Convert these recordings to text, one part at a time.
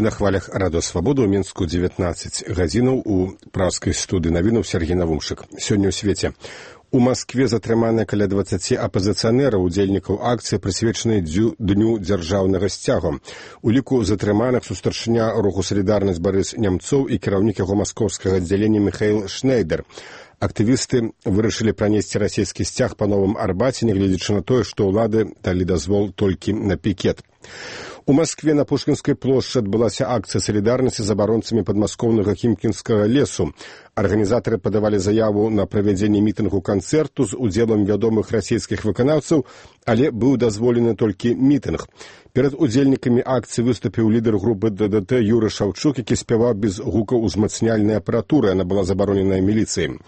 Вы на хвалях Радио Свобода, у Мінску 19 гадзінаў у пражскай студыі навінаў Сергей Навумшык. Сёння ў свеце. У Маскве затрыманыя каля 20 апазіцыянераў, удзельнікаў акцыі, прысвечанай Дню дзяржаўнага сцягу. У ліку затрыманых старшыня руху «Салідарнасць» Барыс Нямцоў і кіраўнік яго маскоўскага аддзялення Міхаіл Шнейдер. Актывісты вырашылі пранесці расійскі сцяг па Новым Арбаце, нягледзячы на тое, што ўлады далі дазвол толькі на пікет. У Маскве на Пушкінскай плошчы адбылася акцыя салідарнасці з абаронцамі падмаскоўнага хімкінскага лесу. Арганізатары падавалі заяву на правядзенне мітынгу-канцэрту з удзелам вядомых расійскіх выканаўцаў, але быў дазволены толькі мітынг. Перад удзельнікамі акцыі выступіў лідар групы ДДТ Юры Шаўчук, які спяваў без гукаў узмацняльнай апаратуры, яна была забароненая міліцыяй.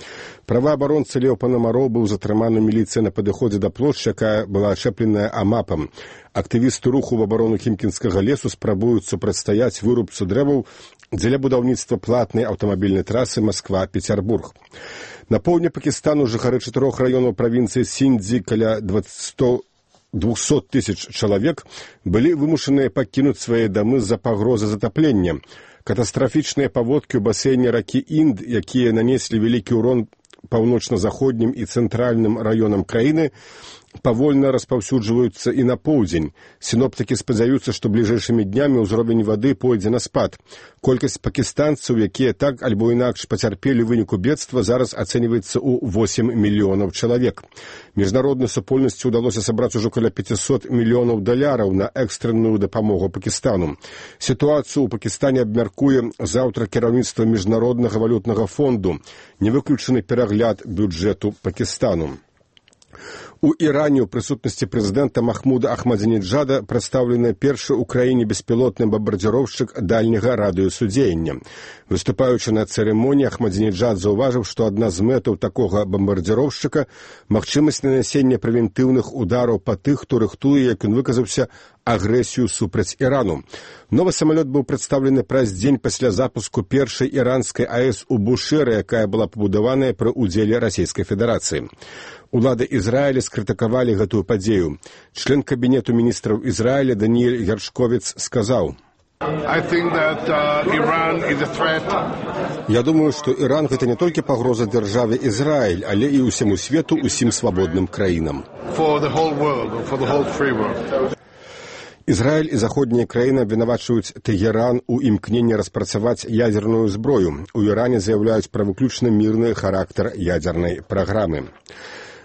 Праваабаронца Леў Панамароў быў затрыманы міліцыяй на падыходзе да плошчы, якая была ачэпленая амапам. Актывісты руху в абарону хімкінскага лесу спрабуюць супрацьстаяць вырубцу дрэваў дзеля будаўніцтва платнай аўтамабільнай трасы Масква-Пецярбург. На поўдні Пакістану жыхары 4 раёнаў правінцыі Сіндзі каля 200 тысяч чалавек былі вымушаныя пакінуць свае дамы з-за пагрозы затаплення. Катастрафічныя паводкі ў басейне ракі Інд, якія нанеслі вялікі ўрон паўночна-заходнім і цэнтральным раёнам краіны, павольна распаўсюджваюцца і на поўдзень. Сіноптыкі спадзяюцца, што бліжэйшымі днямі ўзровень вады пойдзе на спад. Колькасць пакістанцаў, якія так альбо інакш пацярпелі выніку бедства, зараз ацэньваецца ў 8 мільёнаў чалавек. Міжнароднай супольнасці ўдалося сабраць ужо каля $500 мільёнаў на экстранную дапамогу Пакістану. Сітуацыю ў Пакістане абмяркуе заўтра кіраўніцтва Міжнароднага валютнага фонду. Не выключаны перагляд бюджэту Пакістану. У Іране ў прысутнасці прэзідэнта Махмуда Ахмадзінеджада прадстаўлены першы ў краіне беспілотны бамбардзіроўшчык дальняга радыусу дзеяння. Выступаючы на цырымоніі, Ахмадзінеджад заўважыў, што адна з мэтаў такога бамбардзіроўшчыка – магчымасць нанясення прэвентыўных удараў па тых, хто рыхтуе, як ён выказаўся, агрэсію супраць Ірану. Новы самалёт быў прадстаўлены праз дзень пасля запуску першай іранскай АЭС у Бушэры, якая была пабудаваная пры ўдзеле Расійскай Федэрацыі. Улады Ізраіля скрытыкавалі гэтую падзею. Член кабінету міністраў Ізраіля Даніэль Гершковіц сказаў: «Я думаю, што Іран гэта не толькі пагроза дзяржаве Ізраіль, але і ўсяму свету, усім свабодным краінам». Ізраіль і заходнія краіны абвінавачваюць Тэгеран у імкненні распрацаваць ядзерную зброю. У Іране заяўляюць пра выключна мірны характар ядзернай праграмы.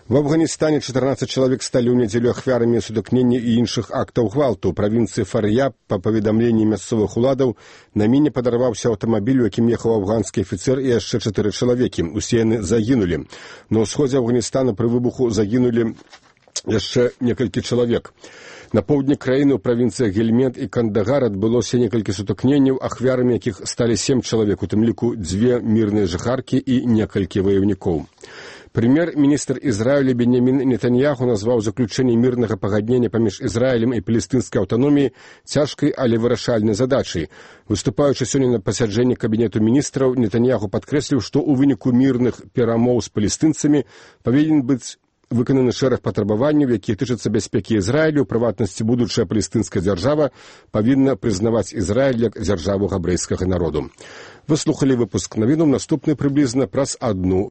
В Афганістане 14 чалавек сталі ў нядзелю ахвярамі сутыкнення і іншых актаў гвалту. У правінцыі Фар'яб, па паведамленні мясцовых уладаў, на міне падарваўся аўтамабіль, у якім ехаў афганскі афіцэр і яшчэ 4 чалавекі. Усе яны загінулі. На ўсходзе Афганістана пры выбуху загінулі яшчэ некалькі чалавек. На поўдні краіны ў правінцыях Гельмент і Кандагар адбылося некалькі сутыкненняў, ахвярамі якіх сталі 7 чалавек, у тым ліку 2 мірныя жыхаркі і некалькі ваяўнікоў. Прэм'ер-міністр Ізраіля Беньямін Нетаньяху назваў заключэнне мірнага пагаднення паміж Ізраілем і палестынскай аўтаноміяй цяжкай, але вырашальнай задачай. Выступаючы сёння на пасяджэнні кабінету міністраў, Нетаньяху падкрэсліў, што ў выніку мірных перамоў з палестынцамі павінен быць выкананы шэраг патрабаванняў, якія тычацца бяспекі Ізраілю. У прыватнасці, будучая палестынская дзяржава павінна прызнаваць Ізраіль як дзяржаву габрэйскага народу. Вы слухалі выпуск навінаў, наступны прыблізна праз 1